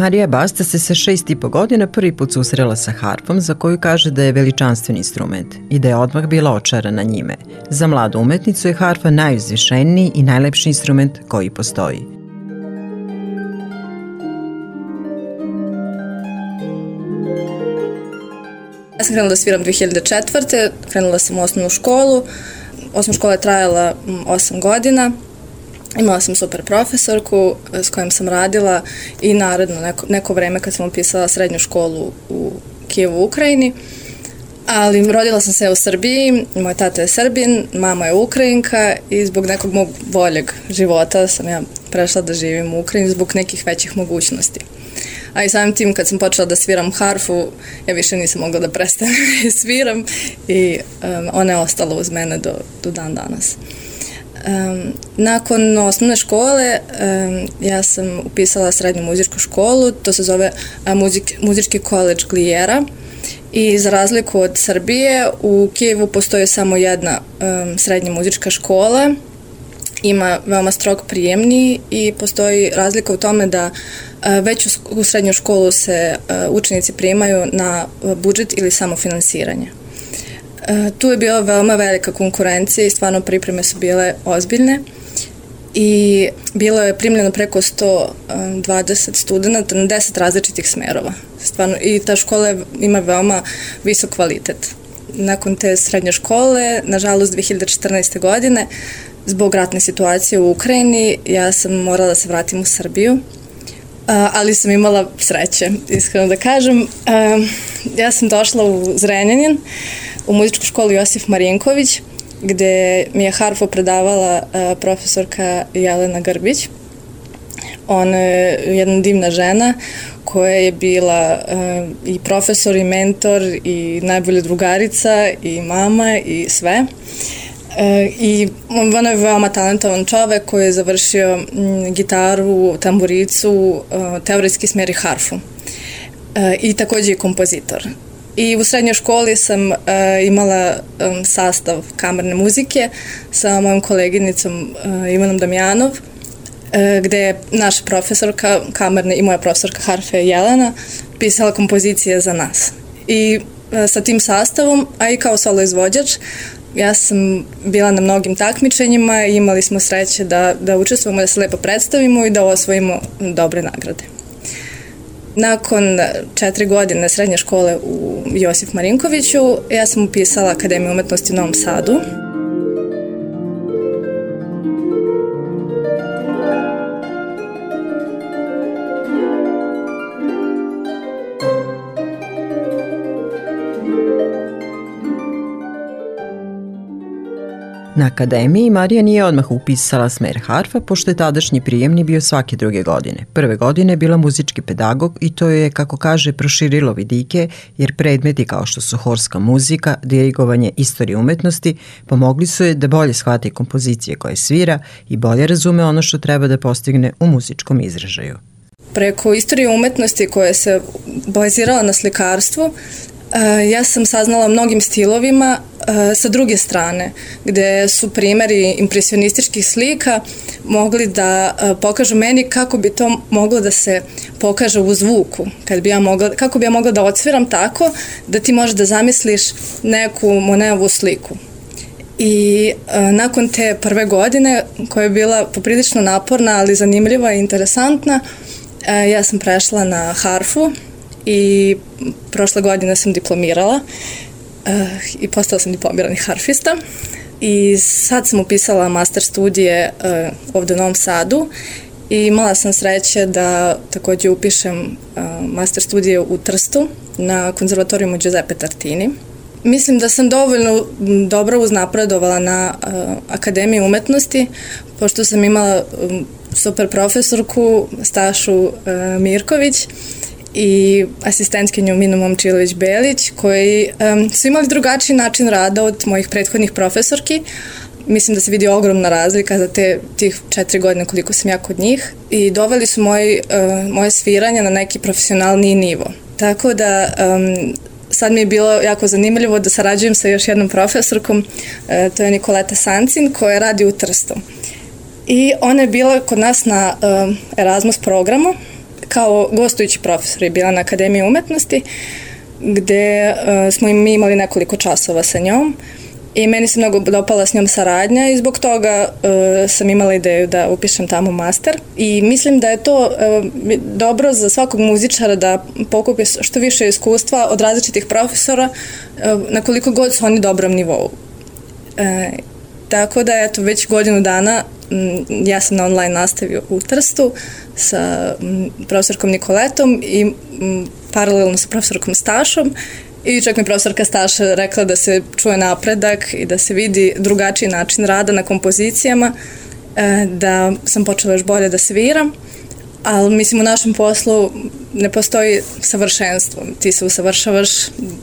Marija Basta se sa 6,5 godina prvi put susrela sa harfom, za koju kaže da je veličanstven instrument i da je odmah bila očarana njime. Za mladu umetnicu je harfa najuzvišeniji i najlepši instrument koji postoji. Ja sam krenula da sviram 2004. Krenula sam u osnovnu školu. Osnovna škola je trajala 8 godina. Imala sam super profesorku s kojom sam radila i naredno neko vreme kad sam upisala srednju školu u Kijevu, Ukrajini. Ali rodila sam se u Srbiji, moj tata je Srbin, mama je Ukrajinka i zbog nekog mog boljeg života sam ja prešla da živim u Ukrajini zbog nekih većih mogućnosti. A i samim tim kad sam počela da sviram harfu, ja više nisam mogla da prestanem da sviram i ona je ostala uz mene do dan danas. Nakon osnovne škole ja sam upisala srednju muzičku školu, to se zove Muzički koledž Glijera i za razliku od Srbije u Kijevu postoji samo jedna srednja muzička škola, ima veoma strog prijemni i postoji razlika u tome da već u srednju školu se učenici primaju na budžet ili samofinansiranje. Tu je bila veoma velika konkurencija i stvarno pripreme su bile ozbiljne i bilo je primljeno preko 120 studenta na 10 različitih smerova. Stvarno, i ta škola ima veoma visok kvalitet. Nakon te srednje škole, nažalost 2014. godine, zbog ratne situacije u Ukrajini, ja sam morala da se vratim u Srbiju, ali sam imala sreće, iskreno da kažem. Ja sam došla u Zrenjanin, u muzičku školu Josif Marinković, gde mi je harfu predavala profesorka Jelena Grbić. Ona je jedna divna žena koja je bila i profesor i mentor i najbolja drugarica i mama i sve. I ona je veoma talentovan čovek koji je završio gitaru, tamburicu, teoretski smer i harfu. I takođe i kompozitor. I u srednjoj školi sam imala sastav kamerne muzike sa mojom koleginicom Ivanom Damjanov, gde je naša profesorka kamerne i moja profesorka harfe Jelena pisala kompozicije za nas. I sa tim sastavom, a i kao solo izvođač, ja sam bila na mnogim takmičenjima i imali smo sreće da učestvujemo, da se lepo predstavimo i da osvojimo dobre nagrade. Nakon 4 godine srednje škole u Josif Marinkoviću, ja sam upisala Akademiju umetnosti u Novom Sadu. Na akademiji Marija nije odmah upisala smer harfa, pošto je tadašnji prijemni bio svake druge godine. Prve godine je bila muzički pedagog i to je, kako kaže, proširilo vidike, jer predmeti kao što su horska muzika, dirigovanje, istorija umetnosti pomogli su je da bolje shvate kompozicije koje svira i bolje razume ono što treba da postigne u muzičkom izražaju. Preko istorije umetnosti koja se bazirala na slikarstvu, ja sam saznala mnogim stilovima sa druge strane, gde su primeri impresionističkih slika mogli da pokažu meni kako bi to moglo da se pokaže u zvuku, kako bi ja mogla da odsviram tako da ti možeš da zamisliš neku Monetovu sliku. I nakon te prve godine, koja je bila poprilično naporna, ali zanimljiva i interesantna, ja sam prešla na harfu i prošle godine sam diplomirala i postala sam diplomirani harfista i sad sam upisala master studije ovde u Novom Sadu i imala sam sreće da takođe upišem master studije u Trstu na konzervatorijumu Giuseppe Tartini. Mislim da sam dovoljno dobro uznapredovala na Akademiji umetnosti, pošto sam imala super profesorku Stašu Mirković i asistentkinju Minu Momčilović-Belić, koji su imali drugačiji način rada od mojih prethodnih profesorki. Mislim da se vidi ogromna razlika za tih 4 godine koliko sam ja kod njih i doveli su moje sviranje na neki profesionalniji nivo. Tako da sad mi je bilo jako zanimljivo da sarađujem sa još jednom profesorkom, to je Nikoleta Sancin, koja radi u Trstu. I ona je bila kod nas na Erasmus programu kao gostujući profesor je bila na Akademiji umetnosti, gde smo mi imali nekoliko časova sa njom i meni se mnogo dopala s njom saradnja i zbog toga sam imala ideju da upišem tamo master i mislim da je to dobro za svakog muzičara da pokupi što više iskustva od različitih profesora na koliko god su oni dobrom nivou. Tako da, eto, već godinu dana ja sam na online nastavi u Trstu sa profesorkom Nikoletom i paralelno sa profesorkom Stašom i čak mi profesorka Staša rekla da se čuje napredak i da se vidi drugačiji način rada na kompozicijama, da sam počela još bolje da sviram, ali mislim u našem poslu ne postoji savršenstvo. Ti se usavršavaš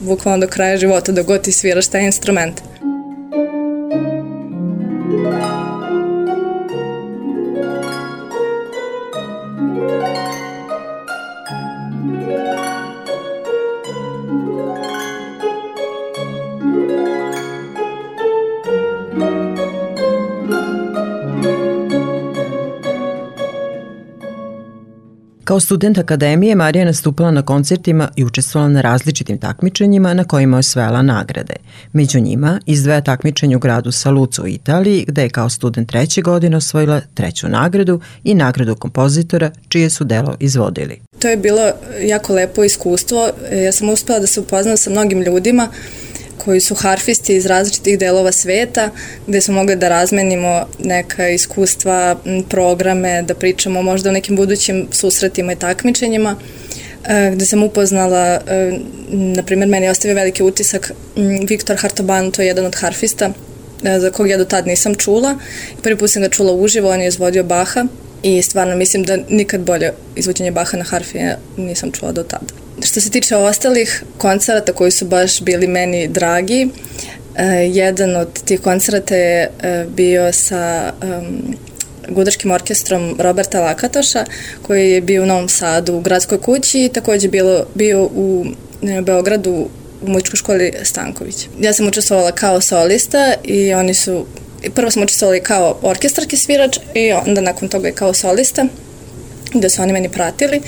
bukvalno do kraja života dok god ti sviraš taj instrument. Kao student akademije, Marija je nastupala na koncertima i učestvovala na različitim takmičenjima na kojima je osvajala nagrade. Među njima izdvaja takmičenje u gradu Saluzzo u Italiji, gde je kao student 3. godine osvojila 3. nagradu i nagradu kompozitora čije su delo izvodili. To je bilo jako lepo iskustvo. Ja sam uspela da se upoznam sa mnogim ljudima koji su harfisti iz različitih delova sveta, gde smo mogli da razmenimo neka iskustva, programe, da pričamo možda o nekim budućim susretima i takmičenjima, gde sam upoznala, na primjer, meni je ostavio veliki utisak Viktor Hartoban, to je jedan od harfista, za kog ja do tad nisam čula. Prvi put sam ga čula uživo, on je izvodio Baha i stvarno mislim da nikad bolje izvođenje Baha na harfi nisam čula do tada. Što se tiče ostalih koncerata koji su baš bili meni dragi, jedan od tih koncerata je bio sa gudačkim orkestrom Roberta Lakatoša, koji je bio u Novom Sadu u Gradskoj kući i takođe bio u Beogradu u muzičkoj školi Stanković. Ja sam učestvovala kao solista i prvo sam učestvovala kao orkestarski svirač i onda nakon toga i kao solista, gde su oni meni pratili.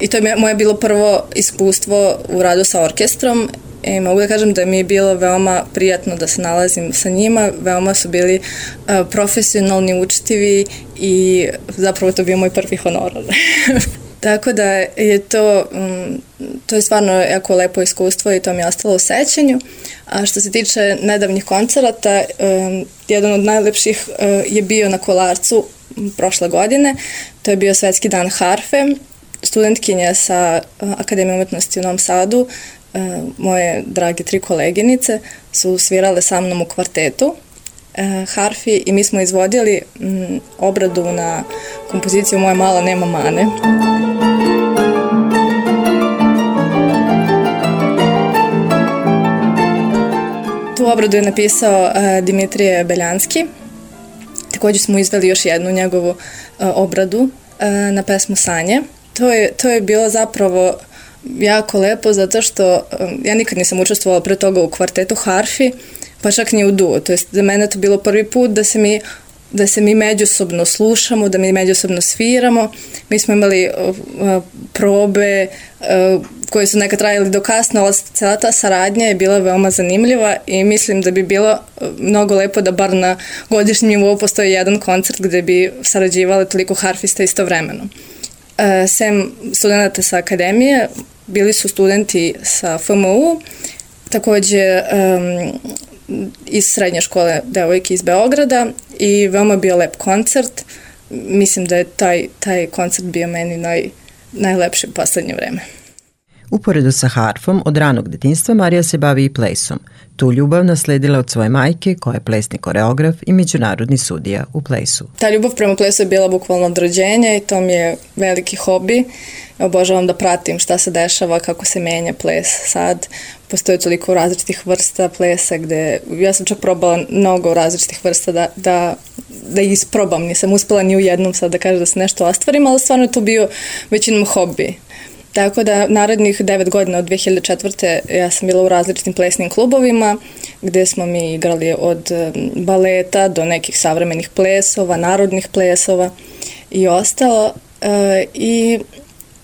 I to je moje bilo prvo iskustvo u radu sa orkestrom i mogu da kažem da mi je bilo veoma prijatno da se nalazim sa njima, veoma su bili profesionalni, učtivi i zapravo to bio moj prvi honorar. Tako da je to je stvarno jako lepo iskustvo i to mi je ostalo u sećanju. A što se tiče nedavnih koncerata, jedan od najlepših je bio na Kolarcu prošle godine, to je bio Svetski dan harfe. Studentkinja sa Akademije umetnosti u Novom Sadu, moje drage 3 koleginice, su svirale sa mnom u kvartetu harfi i mi smo izvodili obradu na kompoziciju Moja mala nema mane. Tu obradu je napisao Dimitrije Beljanski. Također smo izveli još jednu njegovu obradu na pesmu Sanje. To je bilo zapravo jako lepo zato što ja nikad nisam učestvovala pre toga u kvartetu harfi, pa čak ni u duo. To jest za mene to bilo prvi put da se mi međusobno slušamo, da mi međusobno sviramo. Mi smo imali probe koje su nekad trajali do kasno, ali cela ta saradnja je bila veoma zanimljiva i mislim da bi bilo mnogo lepo da bar na godišnjem nivou postoji jedan koncert gde bi sarađivale toliko harfista istovremeno. Sem studenta sa akademije, bili su studenti sa FMU, takođe iz srednje škole devojke iz Beograda i veoma bio lep koncert. Mislim da je taj koncert bio meni najlepši u poslednje vreme. Uporedo sa harfom, od ranog detinjstva Marija se bavi i plesom. Tu ljubav nasledila od svoje majke, koja je plesni koreograf i međunarodni sudija u plesu. Ta ljubav prema plesu je bila bukvalno od rođenja i to mi je veliki hobi. Obožavam da pratim šta se dešava, kako se menja ples sad. Postoje toliko različitih vrsta plesa gde ja sam čak probala mnogo različitih vrsta da isprobam. Nisam uspela ni u jednom sad da kažem da se nešto ostvarim, ali stvarno je to bio većinom hobi. Tako da narednih 9 godina od 2004. ja sam bila u različitim plesnim klubovima gde smo mi igrali od baleta do nekih savremenih plesova, narodnih plesova i ostalo. I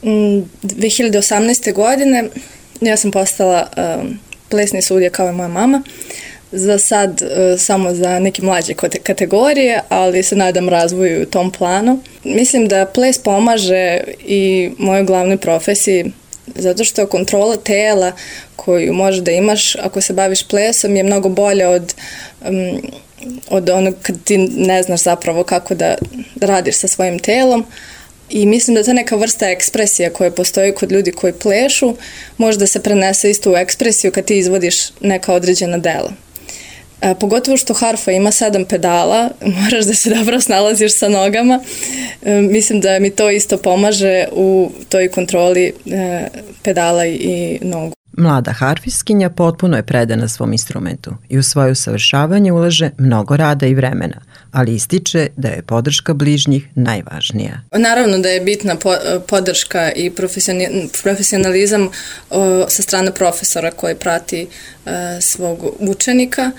2018. godine ja sam postala plesni sudija kao i moja mama. Za sad samo za neke mlađe kategorije, ali se nadam razvoju u tom planu. Mislim da ples pomaže i mojoj glavnoj profesiji, zato što kontrola tela koju možeš da imaš ako se baviš plesom je mnogo bolja od onog kad ti ne znaš zapravo kako da radiš sa svojim telom. I mislim da ta neka vrsta ekspresija koja postoji kod ljudi koji plešu može da se prenese isto u ekspresiju kad ti izvodiš neka određena dela. Pogotovo što harfa ima 7 pedala, moraš da se dobro snalaziš sa nogama. Mislim da mi to isto pomaže u toj kontroli pedala i nogu. Mlada harfiskinja potpuno je predana svom instrumentu i u svoje usavršavanje ulaže mnogo rada i vremena, ali ističe da je podrška bližnjih najvažnija. Naravno da je bitna podrška i profesionalizam sa strane profesora koji prati svog učenika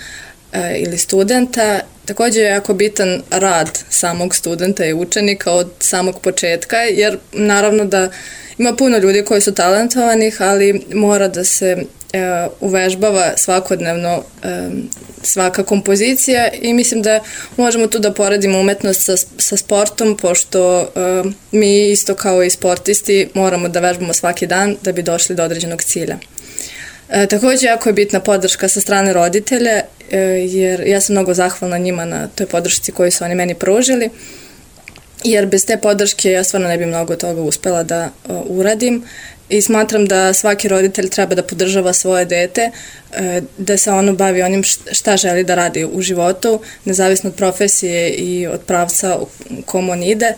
ili studenta. Također je jako bitan rad samog studenta i učenika od samog početka, jer naravno da ima puno ljudi koji su talentovanih, ali mora da se uvežbava svakodnevno svaka kompozicija i mislim da možemo tu da poredimo umetnost sa sportom, pošto mi isto kao i sportisti moramo da vežbamo svaki dan da bi došli do određenog cilja. Također jako je bitna podrška sa strane roditelja, jer ja sam mnogo zahvalna njima na toj podršci koju su oni meni pružili, jer bez te podrške ja stvarno ne bi mnogo toga uspela da uradim i smatram da svaki roditelj treba da podržava svoje dete, da se ono bavi onim šta želi da radi u životu, nezavisno od profesije i od pravca u kom on ide.